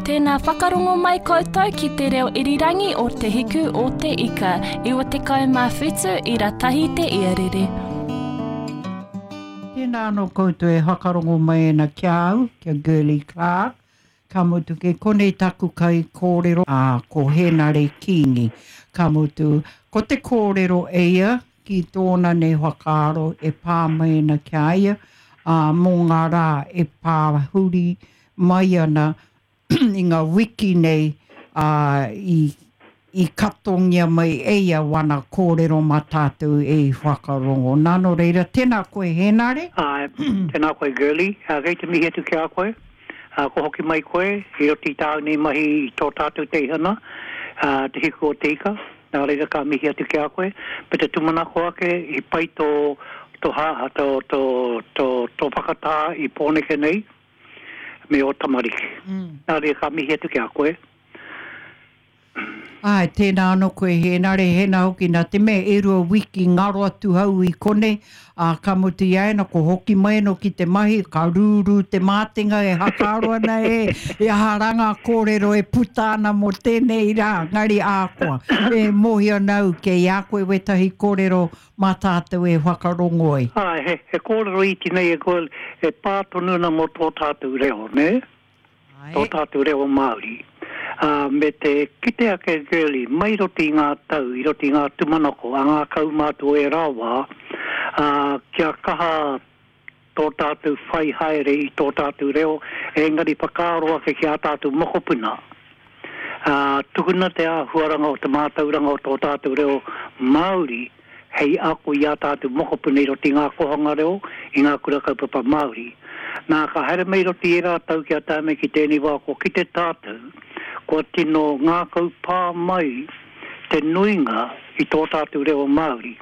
Tēnā whakarongo mai koutou ki te reo irirangi o Te Hiku o Te Ika, 97 ira tahi te iarere. Tēnā anō koutou e whakarongo mai ana ki a au, ki a Girlie Clarke, ka mutu kei konei taku kaikōrero, ā, ko Hēnare Kīngi. Ka mutu, ko te kōrero e ia ki tōna nei whakaaro e pā mai ana ki a ia, ā, mō ngā rā e pā huri mai ana i ngā wiki nei, ā, i, i katongia mai e ia wana kōrero mā tātou e i whakarongo. Nā, nō reira, tēnā koe Hēnare. Āe, tēnā koe Girlie. Ā, kei te mihi atu ki a koe. Ā, kua hoki mai koe i roto i tāu nei mahi i tō tātou teihana, ā, Te Hiku o Te Ika. Nā reira ka mihi atu ki a koe. Me te tūmanako ake i pai tō, tō hā, tō, tō, tō, tō whakatā i Pōneke nei me ō tamariki. Nā reira ka mihi atu ki a koe. Āe, tēnā anō koe Hēnare, hēnā hoki nā te mea e rua wiki ngaro atu hau i konei, ā, ka mutu i a ēnā ko hoki mai anō ki te mahi, ka rūrū te mātenga e hakaaro ana e, e aha rā ngā kōrero e puta ana mō tēnei rā, engari ākoa, e mōhio ana au kei a koe wētahi kōrero mā tātou e whakarongo ai. Āe, he, he kōrero iti nei e koe e pā tonu ana mō tō tātou reo, nē? Tō tātou reo Māori. Ā, me te kite ake Girlie, mai i roto i ngā tau, i roto i ngā tūmanako a ngā kaumātua o ērā wā, ā, kia kaha tō tātou whai haere i tō tātou reo, engari whakaaro ake ki ā tātou mokopuna. Ā, tukuna te āhuaranga o te mātauranga o tō tātou reo Māori hei ako i ā tātou mokopuna i roto i ngā kōhanga reo, i ngā kura kaupapa Māori. Nā, ka haere mai i roto i ērā tau kia tae mai ki tēnei wā kua kite tātou, kua tino ngākau pā mai te nuinga i tō tātou reo Māori.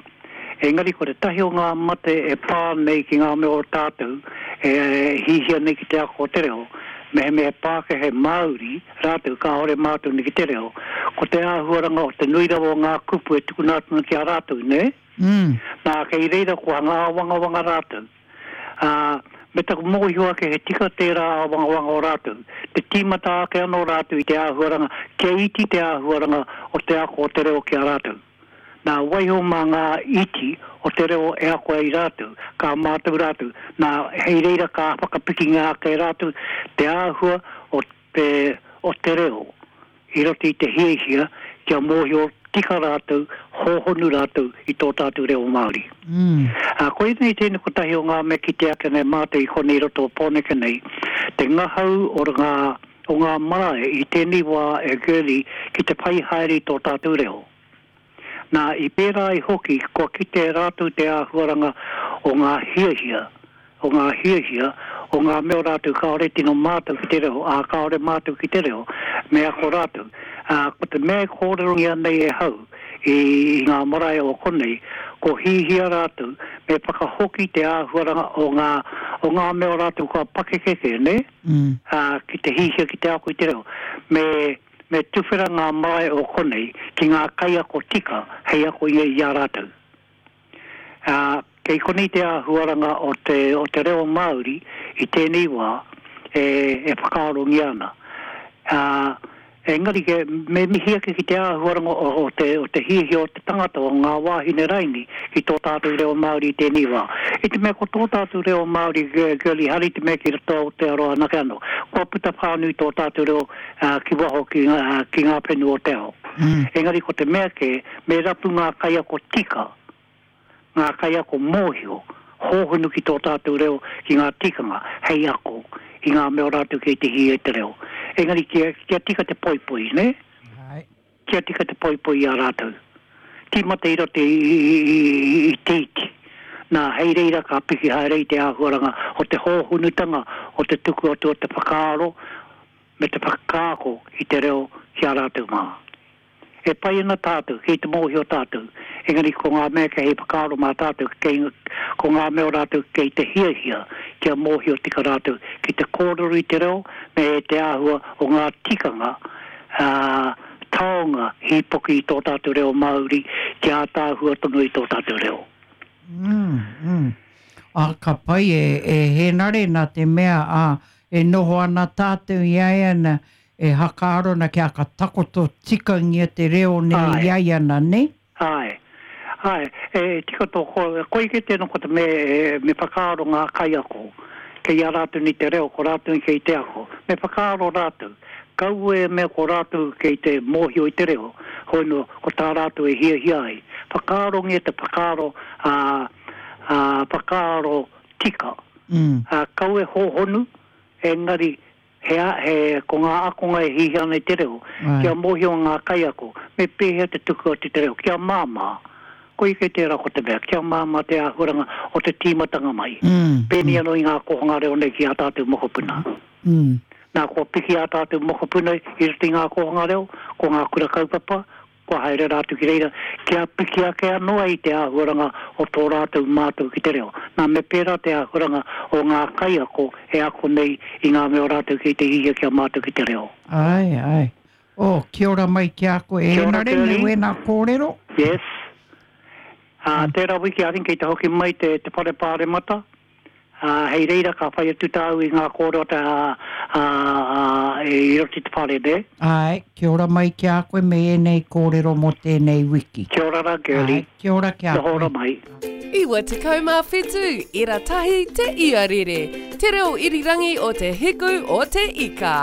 Engari ko tētahi o ngā mate e pā nei ki ngā mea o tātou e hihia nei ki te ako o te reo, mehemea he Pākehā, he Māori, rātou kāore mātou nei ki te reo, ko te āhuaranga o te nui rawa o ngā kupu e tukuna atu ana ki a rātou, nē? Nā, kei reira kua hanga āwangawanga rātou. Ā, me taku mōhio ake he tika tērā āwangawanga o rātou, te tīmata ake anō rātou i te āhuaranga kia iti te āhuaranga o te ako o te reo ki a rātou. Nā, waiho mā ngā iti o te reo e ako ai rātou, ka mātau rātou, nā, hei reira ka whakapikingia ake e rātou te āhua o te o te reo i roto i te hiahia kia mōhio tika rātou, hōhonu rātou i tō tātou reo Māori. Ā, koinei tēnei kotahi o ngā mea kite ake nei mātou i konei i roto o Pōneke nei, te ngahau o ngā, o ngā marae i tēnei wā e Girlie ki te whai haere i tō tātou reo. Nā, i pērā ai hoki, kua kite e rātou te āhuaranga o ngā hiahia, o ngā hiahia, o ngā mea o rātou kāore tino mātau ki te reo, ā, kāore mātau ki te reo, me ako rātou. Ā, ko te mea e kōrerongia nei e hau i ngā marae o konei, ko hihia rātou me whakahoki te āhuaranga o ngā, o ngā mea o rātou kua pakeke kē, nē? Ā, ki te hihia ki te ako i te reo. Me. Me tuwhera ngā marae o konei ki ngā kaiako tika hei ako i a rātou. Ā, kei konei te āhuaranga o te, o te reo Māori i tēnei wā e, e whakaarongia ana. Ā, engari ke, me mihi ake ki te āhuaranga o, o te, o te hiahia o te tangata, o ngā wāhine raini ki tō tātou reo Māori i tēnei wā. I te mea ko tō tātou reo Māori, Girlie, haere i te mea ki roto Aotearoa anake anō, kua puta whānui tō tātou reo ki waho ki ngā whenua o te ao. Engari ko te mea kē, me rapu ngā kaiako tika, ngā kaiako mōhio, hōhonu ki tō tātou reo, ki ngā tikanga, hei ako i ngā mea o rātou kei te hīia i te reo. Engari kia tika te poipoi, nē? Kia tika te poipoi i a rātou. Tīmata i roto i te iti. Nā, hei reira ka piki haere i te āhuaranga o te hōhonutanga o te tuku atu o te whakaaro me te whakaako i te reo ki a rātou mā. E pai ana tātou, kei te mōhio tātou, engari ko ngā mea kei hei whakaaro mā tātou, kei, ko ngā mea o rātou kei te hiahia kia mōhio tika rātou ki te kōrero i te reo me te āhua o ngā tikanga, ā, taonga hīpoki i tō tātou reo Māori kia ātaahua tonu i tō tātou reo. Mm, mm. Ā, ka pai e, e Hēnare, nā te mea, ā, e noho ana tātou i a ia na, e hakaaro ana kia ka takoto tikangia te reo nei i ai ana, ne? Āe. Āe, e tika tō kōrero. Koi kē tēnā ko te me, me whakaaro ngā kaiako. Kei a rātou nei te reo, ko rātou nei kei te ako. Me whakaaro rātou. Kaua e mea ko rātou kei te mōhio i te reo, hoi nō, ko tā rātou e hiahia ai. Whakaarongia te whakaaro, ā, ā, whakaaro tika. Ā, kaua e hōhonu, engari He, he, ko ngā akonga e hiahia ana i te reo, kia mōhio ngā kaiako, me pēhea te tuku atu i te reo, kia māmā. Koia kei tērā ko te mea, kia māmā te āhuaranga o te tīmatanga mai. Pēnei anō i ngā kōhanga reo nei ki ā tātou mokopuna. Nā, kua piki ā tātou mokopuna i roto i ngā kōhanga reo, ko ngā kura kaupapa, Kua haere rātou ki reira kia piki ake anō ai te āhuaranga o tō rātou mātau ki te reo. Nā, me pērā te āhuaranga o ngā kaiako e ako nei i ngā mea o rātou kei te hiahia kia mātau ki te reo. Āe, āe. Oh, kia ora mai ki a koe. Kia ora, Hēnare, me Girlie. wēnā kōrero. Yes. Ā, tērā wiki, I think kei te hoki mai te, te whare pāremata. Ā, hei reira ka whai atu tāu i ngā kōrero te, ā, ā, ā, i roto i te whare, nē? Āe, kia ora mai ki a koe me ēnei kōrero mō tēnei wiki. Kia ora rā, Girlie. Āe, kia ora ki a koe. Noho ora mai. 97 ira tahi te iarere, te reo irirangi o te hiku o te ika.